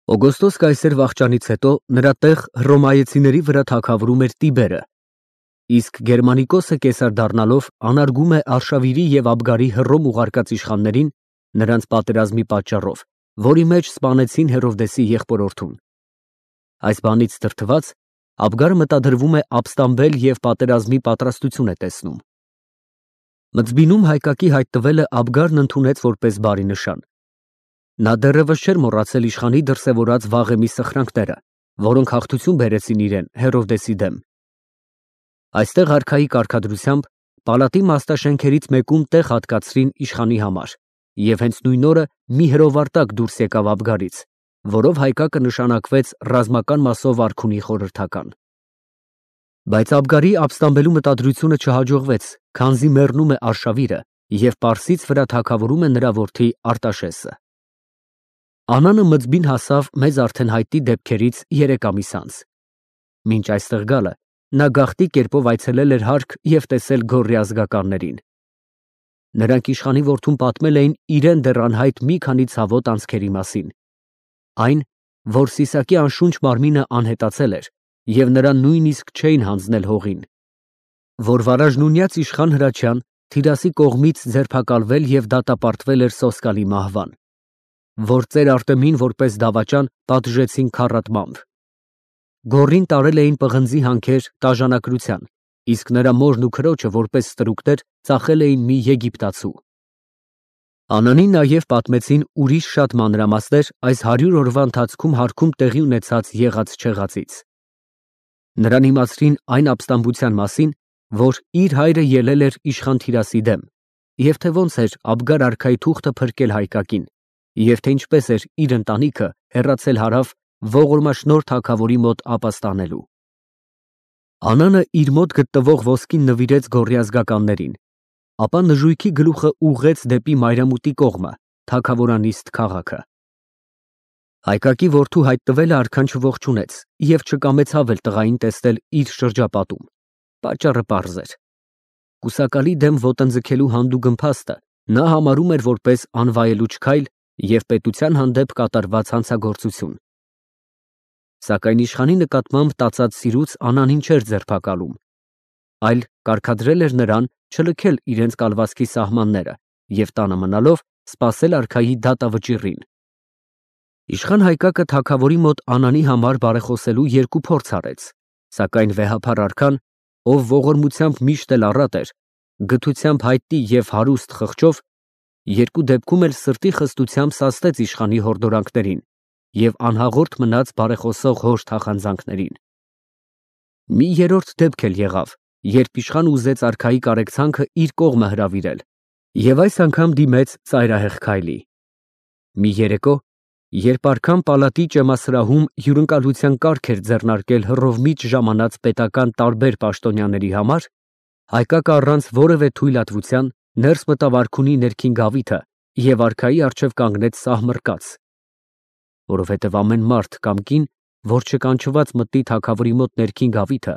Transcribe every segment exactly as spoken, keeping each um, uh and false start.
Օգոստոս կայսեր վախճանից հետո նրա տեղ հռոմայեցիների վրա թագավորում էր Տիբերը, իսկ Գերմանիկոսը կեսար դառնալով անարգում է Արշավիրի և Աբգարի Հռոմ ուղարկած իշխաններին նրանց պատերազմի պատճառով, որի մեջ սպանեցին Հերովդեսի եղբորորդուն։ Այս բանից դրդված Աբգարը մտադրվում է ապստամբել և պատերազմի պատրաստություն է տեսնում։ Մծբինում հայկակի հայտնվելը Աբգարն ընդունեց որպես բարի նշան։ Նա դեռևս չէր մոռացել իշխանի դրսևորած վաղեմի սխրանքները, որոնք հաղթություն բերեցին իրեն Հերովդեսի դեմ։ Այստեղ արքայի կարգադրությամբ պալատի մաստաշենքերից մեկում տեղ հատկացրին իշխանի համար, և հենց նույն օրը մի հրովարտակ դուրս եկավ Աբգարից, որով հայկակը նշանակվեց ռազմական մասով արքունի խորհրդական։ Բայց Աբգարի ապստամբելու մտադրությունը չհաջողվեց, քանզի մեռնում է Արշավիրը և Պարսից վրա թագավորում է նրա որդի Արտաշեսը։ Անանը Մծբին հասավ մեզ արդեն հայտնի դեպքերից երեք ամիս անց։ Մինչ այստեղ գալը նա գաղտի կերպով այցելել էր հարք և տեսել Գոռի ազգականներին։ Նրանք իշխանի որդուն պատմել էին իրեն դեռ անհայտ մի քանի ցավոտ անցքերի մասին։ Այն, որ Սիսակի անշունչ մարմինը անհետացել էր և նրան նույնիսկ չէին հանձնել հողին, որ վարաժնունյաց իշխան Հրաչյան Թիրասի կողմից ձերբակալվել և դատապարտվել էր Սոսկալի մահվան, որ ծեր Արտեմին որպես դավաճան պատժեցին քառատմամբ։ Գոռին տարել էին պղնձի հանքեր տաժանակրության, իսկ նրա մորն ու քրոջը որպես ստրուկներ ծախել էին մի եգիպտացու։ Անանին նաև պատմեցին ուրիշ շատ մանրամասներ այս հարյուր օրվա ընթացքում հարքում տեղի ունեցած եղած֊չեղածից։ Նրան իմացրին այն ապստամբության մասին, որ իր հայրը ելել էր իշխան Թիրասի դեմ, և թե ոնց էր Աբգար արքայի թուղթը փրկել հայկակին, և թե ինչպես էր իր ընտանիքը հեռացել հարավ ողորմաշնորհ թագավորի մոտ ապաստանելու։ Անանը իր մոտ գտնվող ոսկին նվիրեց Գոռի ազգականներին, ապա նժույգի գլուխը ուղղեց դեպի Մայրամուտի կողմը, թագավորանիստ քաղաքը։ Հայկակի որդու հայտնվելը արքան չողջունեց և չկամեցավ էլ տղային տեսնել իր շրջապատում։ Պատճառը պարզ էր։ Կուսակալի դեմ ոտնձգելու հանդուգն փաստը նա համարում էր որպես անվայելուչ քայլ և պետության հանդեպ կատարված հանցագործություն։ Սակայն իշխանի նկատմամբ տածած սիրուց Անանին չէր ձերբակալում, այլ կարգադրել էր նրան չլքել իրենց կալվածքի սահմանները և տանը մնալով սպասել արքայի դատավճիռին։ Իշխան Հայկակը թագավորի մոտ Անանի համար բարեխոսելու երկու փորձ արեց, սակայն վեհափառ արքան, ով ողորմությամբ միշտ էլ առատ էր, գթությամբ հայտնի և հարուստ խղճով, երկու դեպքում էլ սրտի խստությամբ սաստեց իշխանի հորդորանքներին և անհաղորդ մնաց բարեխոսող հոր թախանձանքներին։ Մի երրորդ դեպք էլ եղավ, երբ իշխան ուզեց արքայի կարեկցանքը իր կողմը հրավիրել և այս անգամ դիմեց ծայրահեղ քայլի։ Մի երեկո, երբ արքան պալատի ճեմասրահում հյուրընկալության կարգ էր ձեռնարկել հռովմիջ ժամանած պետական տարբեր պաշտոնյաների համար, Հայկակը առանց որևէ թույլատվության ներս մտավ արքունի ներքին գավիթը և արքայի առջև կանգնեց սահմռկած, որովհետև ամեն մարդ կամ կին, որ չկանչված մտնի թագավորի մոտ ներքին գավիթը,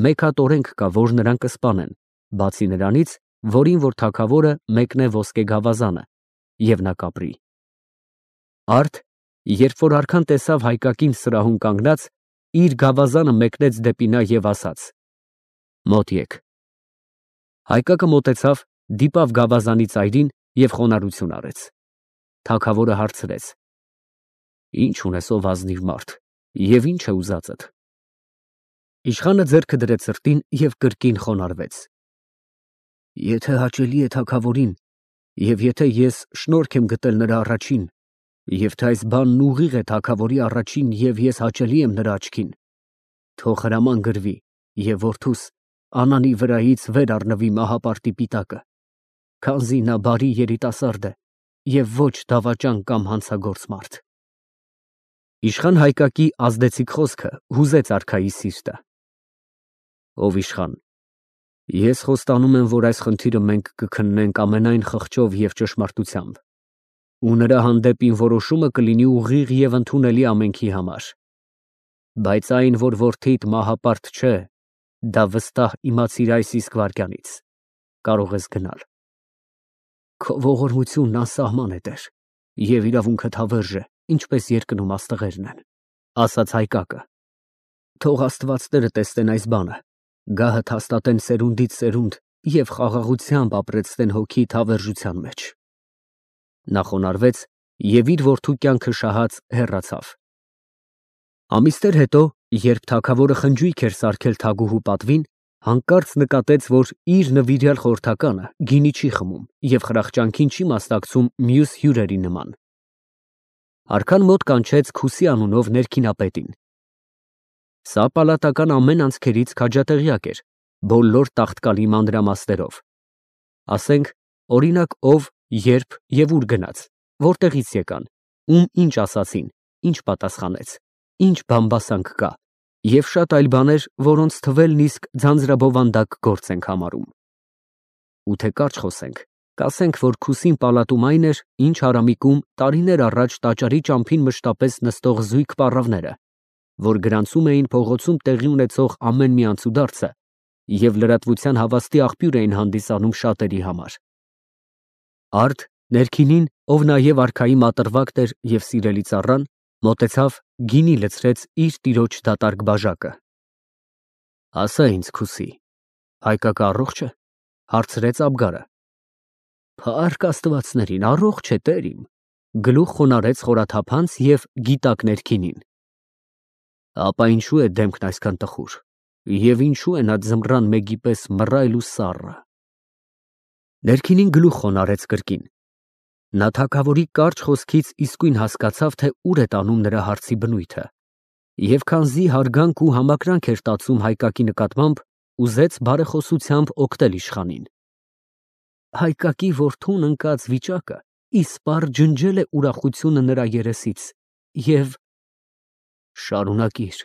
մեկ հատ օրենք կա, որ նրան կսպանեն, բացի նրանից, որին որ թագավորը մեկնե ոսկե գավազանը, և նա կապրի։ Արդ, երբ որ արքան տեսավ Հայկակին սրահում կանգնած, իր գավազանը մեկնեց դեպի նա և ասաց. «Մոտ եկ»։ Հայկակը մոտեցավ, դիպավ գավազանի ծայրին և խոնարհություն արեց։ Թագավորը հարցրեց. «Ի՞նչ ունես, ով ազնիվ մարդ, և ի՞նչ է ուզածդ»։ Իշխանը ձեռքը դրեց սրտին և կրկին խոնարհվեց. «Եթե հաճելի է թագավորին, և եթե ես շնորհք եմ գտել նրա առաջին, և թե այս բանն ուղիղ է թագավորի առաջին և ես հաճելի եմ նրա աչքին, թող հրաման գրվի և որդուս Անանի վրայից վեր առնվի մահապարտի պիտակը, քանզի նա բարի երիտասարդ է և ոչ դավաճան կամ հանցագործ մարդ»։ Իշխան Հայկակի ազդեցիկ խոսքը հուզեց արքայի սիրտը։ «Ով իշխան, ես խոստանում եմ, որ այս խնդիրը մենք կքննենք ամենայն խղճով և ճշմարտությամբ, ու նրա հանդեպ իմ որոշումը կլինի ուղիղ և ընդունելի ամենքի համար։ Բայց այն, որ որդիդ մահապարտ չէ, դա վստահ իմացիր այս իսկ վայրկյանից, կարող ես գնալ։ Քո ողորմությունն անսահման է, տեր, և իրավունքդ հավերժ է, ինչպես երկնում աստղերն են, ասաց Հայկակը։ Թող աստվածները տեսնեն այս բանը, գահդ հաստատեն սերունդից սերունդ և խաղաղությամբ ապրեցնեն հոգիդ հավերժության մեջ։ Նա խոնարհվեց և իր որդու կյանքը շահած հեռացավ։ Ամիսներ հետո, երբ թագավորը խնջույք էր սարքել թագուհու պատվին, հանկարծ նկատեց, որ իր նվիրյալ խորհրդականը գինի չի խմում և խրախճանքին չի մասնակցում մյուս հյուրերի նման։ Արքան մոտ կանչեց Քուսի անունով ներքինապետին։ Սա պալատական ամեն անցքերից քաջատեղյակ էր, բոլոր տաղտկալի մանրամասներով, ասենք, օրինակ, ով, երբ և ուր գնաց, որտեղից եկան, ում ինչ ասացին, ինչ պատասխանեց, ինչ բամբասանք կա և շատ այլ բաներ, որոնց թվելն իսկ ձանձրաբովանդակ գործ ենք համարում։ Ու թե կարճ խոսենք, կասենք, որ Քուսին պալատում այն էր, ինչ Արամիկում տարիներ առաջ տաճարի ճամփին մշտապես նստող զույգ պառավները, որ գրանցում էին փողոցում տեղի ունեցող ամեն մի անցուդարձը և լրատվության հավաստի աղբյուր էին հանդիսանում շատերի համար։ Արդ, ներքինին, ով նաև արքայի մատրվակն էր և սիրելի ծառան, մոտեցավ, գինի լցրեց իր տիրոջ դատարկ բաժակը։ Ասա ինձ, Քուսի, Հայկակը առողջ է, հարցրեց Աբգարը։ Փառք աստվածներին, առողջ է, տեր իմ, գլուխ խոնարհեց խորաթափանց և գիտակ ներքինին։ Ապա ինչու է դեմքն այսքան տխուր, և ինչու է նա ձմռան մեկի պես մռայլ ու սառը։ Ներքինին գլուխ խոնարհեց կրկին։ Նա թագավորի կարճ խոսքից իսկույն հասկացավ, թե ուր է տանում նրա հարցի բնույթը, և քանզի հարգանք ու համակրանք էր տածում Հայկակի նկատմամբ, ուզեց բարեխոսությամբ օգնել իշխանին։ Հայկակի որդուն ընկած վիճակը իսպառ ջնջել է ուրախությունը նրա երեսից և… Շարունակիր,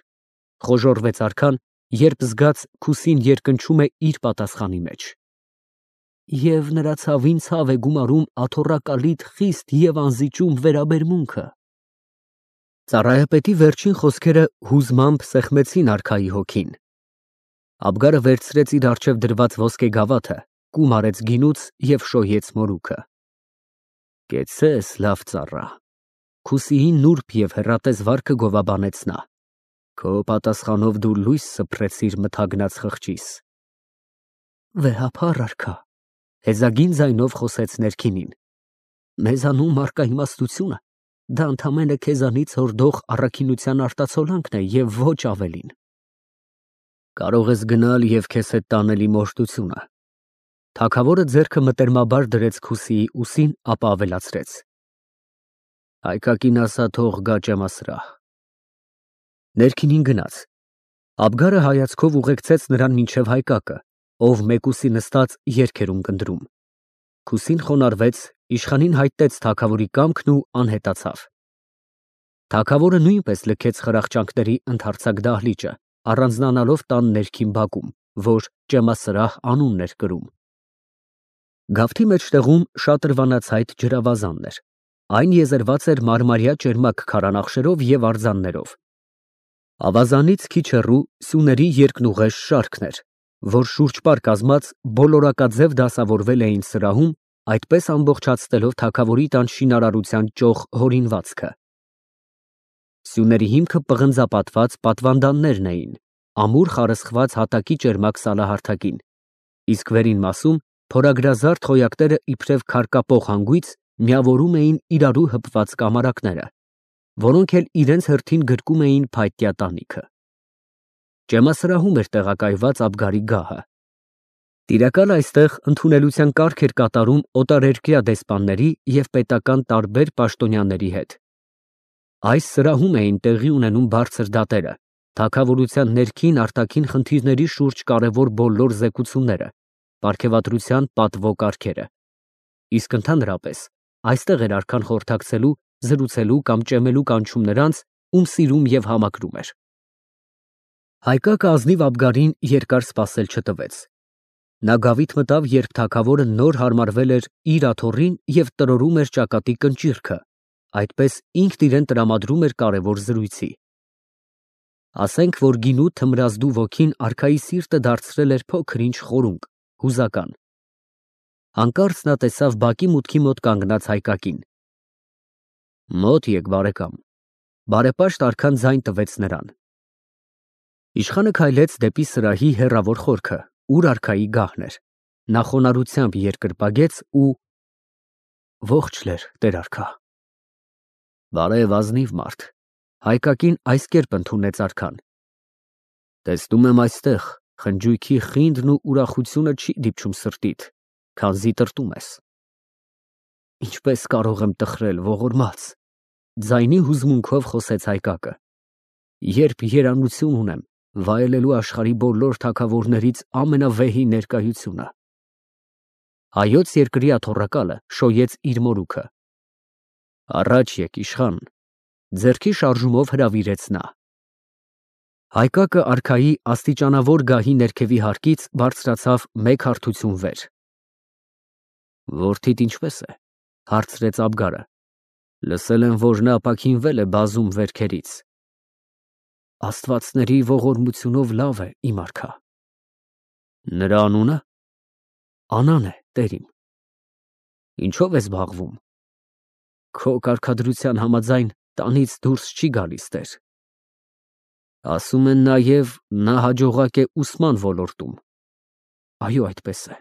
խոժոռվեց արքան, երբ զգաց Քուսին երկնչում է իր պատասխանի մեջ։ Եվ նրա ցավին ցավ է գումարում աթոռակալիդ խիստ և անզիջում վերաբերմունքը։ Ծառայապետի վերջին խոսքերը հուզմամբ սեղմեցին արքայի հոգին։ Աբգարը վերցրեց իր առջև դրված ոսկե գավաթը, կում արեց գինուց և շոյեց մորուքը։ Կեցցես, լավ ծառա։ Քուսիի նուրբ և հեռատես վարքը գովաբանեց նա։ Քո պատասխանով դու լույս սփռեցիր մթագնած խղճիս։ Վեհափառ արքա, հեզագին ձայնով խոսեց ներքինին։ Մեզանում առկա իմաստությունը, դա ընդամենը քեզանից հորդող առաքինության արտացոլանքն է և ոչ ավելին։ Կարող ես գնալ և քեզ հետ տանել իմ օրհնությունը։ Թագավորը ձեռքը մտերմաբար դրեց Քուսիի ուսին, ապա ավելացրեց. Հայկակին ասա, թող գա ջամասրահ։ Ներքինին գնաց։ Աբգարը հայացքով ուղեկցեց նրան մինչև Հայկակը, ով մեկուսի նստած երգ էր ունկնդրում։ Քուսին խոնարհվեց, իշխանին հայտնեց թագավորի կամքն ու անհետացավ։ Թագավորը նույնպես լքեց խրախճանքների ընդարձակ դահլիճը, առանձնանալով տան ներքին բակում, որ ջամասրահ անունն էր կրում։ Գավթի մեջտեղում շատրվանացայտ ջրավազանն էր։ Այն եզերված էր մարմարյա ճերմակ քարանախշերով և արձաններով։ Ավազանից քիչ հեռու սյուների երկնուղեշ շարքն էր, որ շուրջպար կազմած բոլորակաձև դասավորվել էին սրահում, այդպես ամբողջացնելով թագավորի տան շինարարության ճոխ հորինվածքը։ Սյուների հիմքը պղնձապատված պատվանդաններն էին, ամուր խարսխված հատակի ճերմակ սալահարթակին, իսկ վերին մասում փորագրազարդ խոյակները իբրև քարկապող հանգույց միավորում էին իրարու հպված կամարակները, որոնք էլ իրենց հերթին գրկում էին փայտյա տանիքը։ Ջամասրահում էր տեղակայված Աբգարի գահը։ Տիրակալը այստեղ ընդունելության կարգ էր կատարում օտարերկրյա դեսպանների և պետական տարբեր պաշտոնյաների հետ։ Այս սրահում էին տեղի ունենում բարձր դատերը, թագավորության ներքին արտաքին խնդիրների շուրջ կարևոր բոլոր զեկուցումները, պարգևատրության պատվո կարգերը։ Իսկ ընդհանրապես այստեղ էր արքան խորհրդակցելու, զրուցելու կամ ճեմելու կանչում նրանց, ում սիրում և համակրում էր։ Հայկակը ազնիվ Աբգարին երկար սպասել չտվեց։ Նա գավիթ մտավ, երբ թագավորը նոր հարմարվել էր իր աթոռին և տրորում էր ճակատի կնճիռքը, այդպես ինքն իրեն տրամադրում էր կարևոր զրույցի։ Ասենք, որ գինու թմրազդու ոգին արքայի սիրտը դարձրել էր փոքր-ինչ խորունկ, հուզական։ Հանկարծ նա տեսավ բակի մուտքի մոտ կանգնած Հայկակին։ Մոտ եկ բարեկամ։ Բարեպաշտ արքան ձայն տվեց նրան։ Իշխանը քայլեց դեպի սրահի հեռավոր խորքը, ուր արքայի գահն էր։ Նա խոնարհությամբ երկրպագեց ու ողջ լեր, տեր արքա։ Բարև ազնիվ մարդ, Հայկակին այս կերպ ընդունեց արքան։ Տեսնում եմ այստեղ խնջույքի խինդն ու ուրախությունը չի դիպչում սրտիդ, քանզի տրտում ես։ Ինչպես կարող եմ տխրել, ողորմած, ձայնի հուզմունքով խոսեց Հայկակը, երբ երանություն ունեմ վայելելու աշխարհի բոլոր թագավորներից ամենավեհի ներկայությունը։ Հայոց երկրի աթոռակալը շոյեց իր մորուքը։ Առաջ եկ, իշխան, ձեռքի շարժումով հրավիրեց նա։ Հայկակը արքայի աստիճանավոր գահի ներքևի հարկից բարձրացավ մեկ հարթություն վեր։ Որդիդ ինչպես է, հարցրեց Աբգարը։ Լսել եմ, որ նա ապաքինվել է բազում վերքերից։ Աստվածների ողորմությունով լավ է, իմ արքա։ Նրա անունը Անան է, տերիմ։ Ինչով ես զբաղվում։ Քո կարգադրության համաձայն տանից դուրս չի գալիս, տեր։ Ասում են նաև նա հաջողակ է ուսման ոլորտում։ Այո, այդպես է։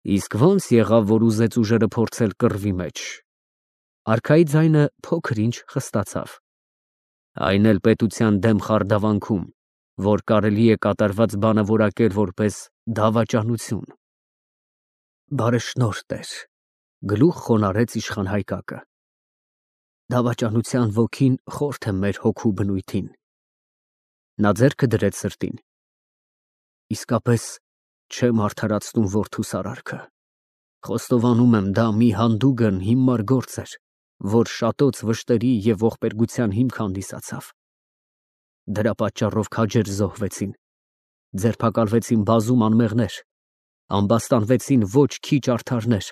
Իսկ ո՞նց եղավ, որ ուզեց ուժերը փորձել կռվի մեջ։ Արքայի ձայնը փոքր-ինչ խստացավ։ Այն էլ պետության դեմ խարդավանքում, որ կարելի է կատարված բանը որակել որպես դավաճանություն։ Բարեշնորհ, տեր, գլուխ խոնարհեց իշխան Հայկակը։ Դավաճանության ոգին խորթ է մեր հոգու բնույթին։ Նա ձեռքը դրեց սրտին։ Իսկապես չեմ արդարացնում որդուս արարքը։ Խոստովանում եմ, դա մի հանդուգն հիմար գործ էր, որ շատոց վշտերի և ողբերգության հիմք հանդիսացավ։ Դրա պատճառով քաջեր զոհվեցին, ձերբակալվեցին բազում անմեղներ, ամբաստանվեցին ոչ քիչ արդարներ։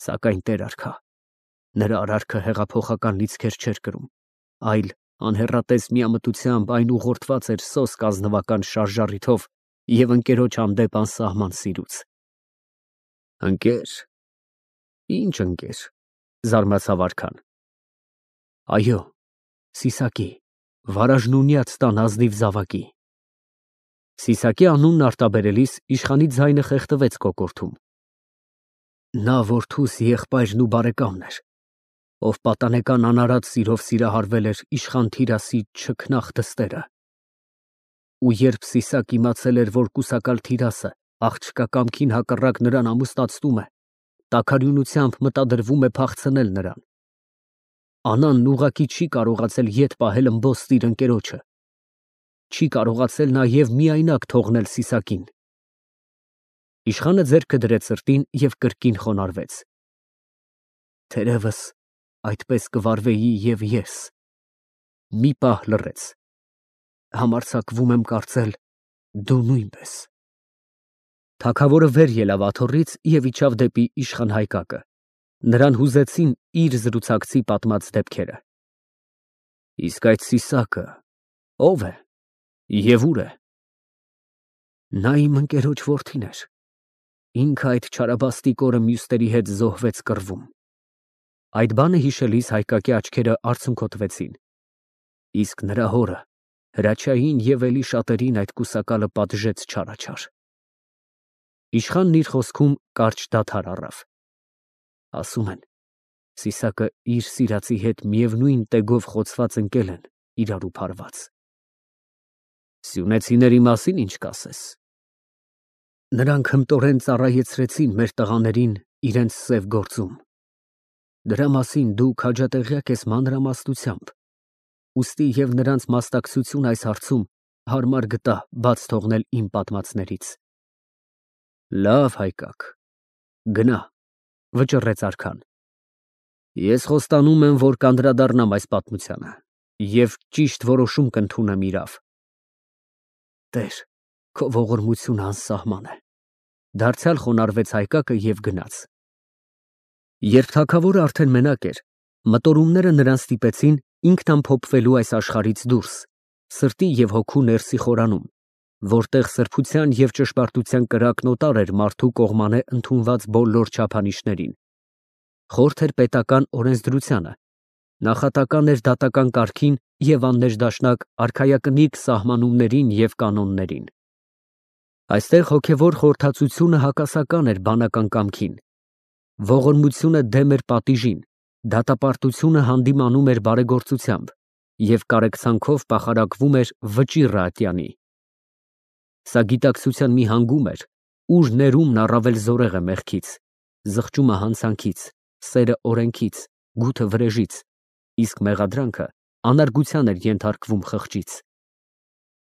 Սակայն տեր արքա, նրա արարքը հեղափոխական լիցքեր չէր կրում, այլ անհեռատես միամտությամբ այն ուղղորդված էր սոսկ ազնվական շարժառիթով և ընկերոջ հանդեպ անսահման սիրուց։ Ընկեր, ինչ ընկեր, զարմացավ արքան։ Այո, Սիսակի, վարաժնունյաց տան ազնիվ զավակի։ Սիսակի անունն արտաբերելիս իշխանի ձայնը խեղդվեց կոկորդում։ Նա որդուս եղբայրն ու բարեկամն էր, ով պատանեկան անարատ սիրով սիրահարվել էր իշխան Թիրասի չքնաղ դստերը։ Ու երբ Սիսակ իմացել էր, որ կուսակալ Թիրասը աղջկա կամքին հակառակ նրան ամուսնացնում է, տաքարյունությամբ մտադրվում է փախցնել նրան։ Անանն ուղղակի չի կարողացել ետ պահել ըմբոստ իր ընկերոջը։ Չի կարողացել նաև միայնակ թողնել Սիսակին։ Իշխանը ձեռքը դրեց սրտին և կրկին խոնարհվեց։ Թերևս այդպես կվարվեի և ես։ Մի պահ լռեց։ Համարձակվում եմ կարծել, դու նույնպես։ Թագավորը վեր ելավ աթոռից և իջավ դեպի իշխան Հայկակը։ Նրան հուզեցին իր զրուցակցի պատմած դեպքերը։ Իսկ այդ Սիսակը ո՞վ է և ուր է։ Նա իմ ընկերոջ որդին էր։ Ինքը այդ չարաբաստիկ օրը մյուսների հետ զոհվեց կռվում։ Այդ բանը հիշելիս Հայկակի աչքերը արցունքոտվեցին։ Իսկ նրա հորը Հրաչյային և էլի շատերին այդ կուսակալը պատժեց չարաչար։ Իշխանն իր խոսքում կարճ դադար առավ։ Ասում են, Սիսակը իր սիրածի հետ միևնույն տեգով խոցված ընկել են իրարու փարված։ Սյունեցիների մասին ինչ կասես։ Նրանք հմտորեն ծառայեցրեցին մեր տղաներին իրենց սև գործում։ Դրա մասին դու քաջատեղյակ ես մանրամասնությամբ, ուստի և նրանց մասնակցություն այս հարցում հարմար գտա բաց թողնել իմ պատմածներից։ Լավ, Հայկակ, գնա, վճռեց արքան։ Ես խոստանում եմ, որ կանդրադառնամ այս պատմությանը և ճիշտ որոշում կընդունեմ իրավ։ Տեր, քո ողորմությունը անսահման է։ Դարձյալ խոնարհվեց Հայկակը և գնաց։ Երբ թագավորը արդեն մենակ էր, մտորումները նրան ստիպեցին ինքնամփոփվելու այս աշխարհից դուրս, սրտի և հոգու ներսի խորանում, որտեղ սրբության և ճշմարտության կրակն օտար էր մարդու կողմանե ընդունված բոլոր չափանիշներին։ Խորթ էր պետական օրենսդրությանը, նախատական էր դատական կարգին և աննեժդաշնակ արքայակնիկ սահմանումներին և կանոններին։ Այստեղ հոգևոր խորհրդածությունը հակասական էր բանական կամքին, ողորմությունը դեմ էր պատիժին, դատապարտությունը հանդիմանում էր բարեգործությամբ և կարեկցանքով պախարակվում էր վճիռը ատյանի։ Սա գիտակցության մի հանգում էր, ուր ներումն առավել զորեղ է մեղքից, զղջումը հանցանքից, սերը օրենքից, գութը վրեժից, իսկ մեղադրանքը անարգության էր ենթարկվում խղճից։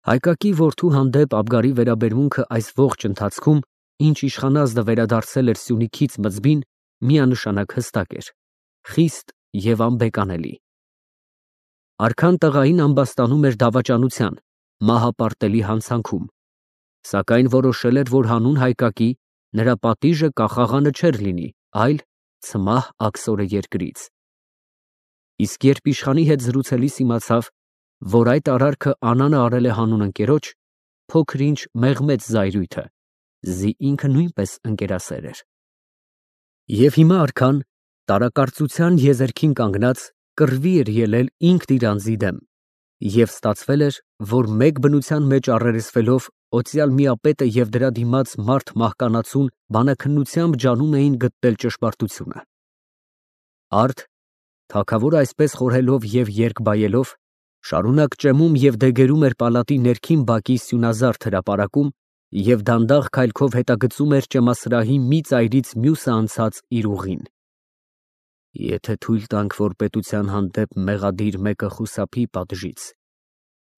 Հայկակի որդու հանդեպ Աբգարի վերաբերմունքը այս ողջ ընթացքում, ինչ իշխանազդը վերադարձել էր Սյունիքից Մզբին, միանշանակ հստակ էր, խիստ և անբեկանելի։ Արքան տղային ամբաստանում էր դավաճանության, մահապարտելի հանցանքում, սակայն որոշել էր, որ հանուն Հայկակի նրա պատիժը կախաղանը չէր լինի, այլ ցմահ աքսորը երկրից։ Իսկ երբ իշխանի հետ զրուցելիս իմացավ, որ այդ արարքը Անանը արել է հանուն ընկերոջ, փոքր-ինչ մեղմեց զայրույթը, զի ինքը նույնպես ընկերասեր էր։ Եվ հիմա արքան, տարակարծության եզերքին կանգնած, կռվի էր ելել ինքն իր անձի դեմ, և ստացվել էր, որ մեկ բնության մեջ առերեսվելով օծյալ միապետը և դրա դիմաց մարդ մահկանացուն բանաքննությամբ ջանում էին գտնել ճշմարտությունը։ Արդ, թագավորը այսպես խորհելով և երկբայելով, շարունակ ճեմում և դեգերում էր պալատի ներքին բակի սյունազարդ հրապարակում և դանդաղ քայլքով հետագծում էր ճեմասրահի մի ծայրից մյուսը անցած իր ուղին։ Եթե թույլ տանք, որ պետության հանդեպ մեղադիր մեկը խուսափի պատժից,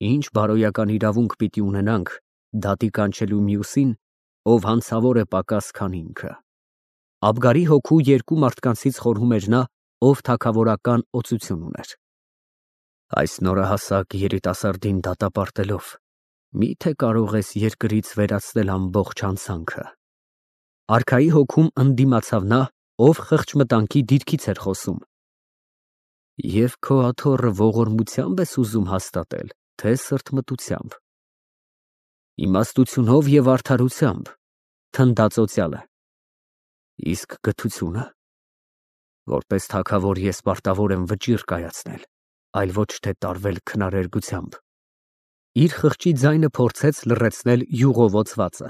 ինչ բարոյական իրավունք պիտի ունենանք դատի կանչելու մյուսին, ով հանցավոր է պակաս, քան ինքը։ Աբգարի հոգու երկու մարդկանցից խորհում էր նա, ով թագավորական օծություն ուներ։ Այս նորահասակ երիտասարդին դատապարտելով, մի՞թե կարող ես երկրից վերացնել ամբողջ հանցանքը։ Արքայի հոգում ընդդիմացավ նա, ով խղճմտանքի դիրքից էր խոսում։ Եվ քո աթոռը ողորմությա՞մբ ես ուզում հաստատել, թե սրտմտությամբ։ Իմաստությունով և արդարությամբ, թնդաց օծյալը։ Իսկ գթությունը։ Որպես թագավոր ես պարտավոր եմ վճիռ կայացնել, այլ ոչ թե տարվել քնարերգությամբ։ Իր խղճի ձայնը փորձեց լռեցնել յուղովոծվածը։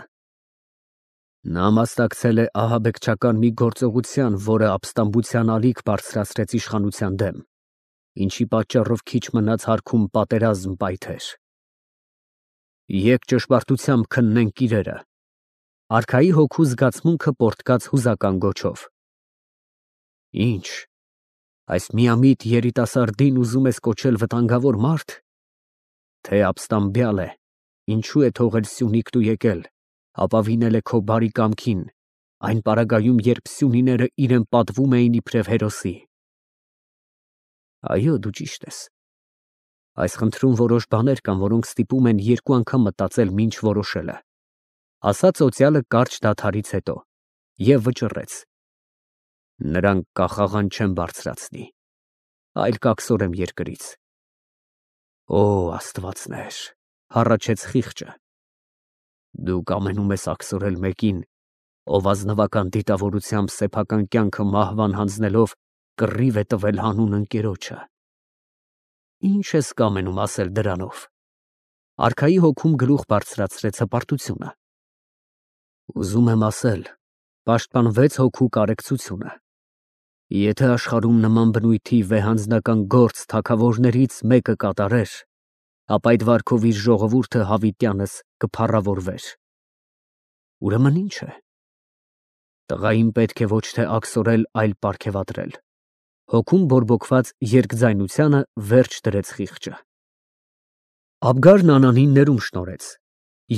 Նա մասնակցել է ահաբեկչական մի գործողության, որը ապստամբության ալիք բարձրացրեց իշխանության դեմ, ինչի պատճառով քիչ մնաց հարքում պատերազմ պայթեր։ Եկ ճշմարտությամբ քննենք իրերը։ Արքայի հոգու զգացմունքը պոռթկաց հուզական գոչով։ Ինչ, այս միամիտ երիտասարդին ուզում ես կոչել վտանգավոր մարդ, թե ապստամբյալ է, ինչու է թողել Սյունիքն ու եկել, ապավինել է քո բարի կամքին, այն պարագայում, երբ սյունիները իրեն պատվում էին իբրև հերոսի։ Այո, դու ճիշտ ես։ Այս խնդրում որոշ բաներ կան, որոնք ստիպում են երկու անգամ մտածել, մինչ որոշելը, ասաց օծյալը կարճ դադարից հետո և վճռեց. նրանք կախաղան չեն բարձրացնի, այլ կաքսորեմ երկրից։ Օ, աստվածներ, հառաչեց խիղճը, դուք ամենում ես աքսորել մեկին, ով ազնվական դիտավորությամբ սեփական կյանքը մահվան հանձնելով կռիվ է տվել հանուն ընկերոջը։ Ինչ ես կամենում ասել դրանով։ Արքայի հոգում գլուխ բարձրացրեց հպարտությունը։ Ուզում եմ ասել, պաշտպանվեց հոգու կարեկցությունը։ Եթե աշխարհում նման բնույթի վեհանձնական գործ թագավորներից մեկը կատարեր, ապա այդ վարքով իր ժողովուրդը հավիտյանս կփառավորվեր։ Ուրեմն ի՞նչ է։ Տղային պետք է ոչ թե աքսորել, այլ պարգևատրել։ Հոգում բորբոքված երկձայնությանը վերջ դրեց խիղճը։ Աբգարն Անանին ներում շնորհեց,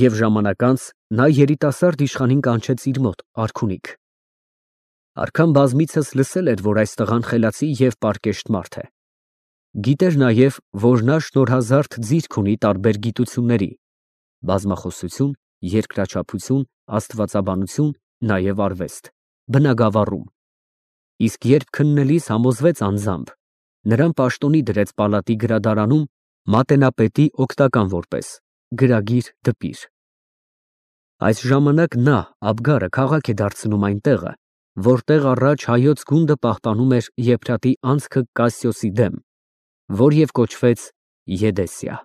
և ժամանակ անց նա երիտասարդ իշխանին կանչեց իր մոտ արքունիք։ Արքան բազմիցս լսել էր, որ այս տղան խելացի և պարկեշտ մարդ է։ Գիտեր նաև, որ նա շնորհազարդ ձիրք ունի տարբեր գիտությունների՝ բազմախոսություն, երկրաչափություն, աստվածաբանություն, նաև արվեստ, բնագավառում։ Իսկ երբ քննելիս համոզվեց անձամբ, նրան պաշտոնի դրեց պալատի գրադարանում մատենապետի օգնական որպես, գրագիր դպիր։ Այս ժամանակ նա, Աբգարը, քաղաք է դարձնում այն տեղը, որտեղ առաջ հայոց գունդը պահպանում էր Եփրատի անցքը Կասիոսի դեմ, որ և կոչվեց Եդեսիա։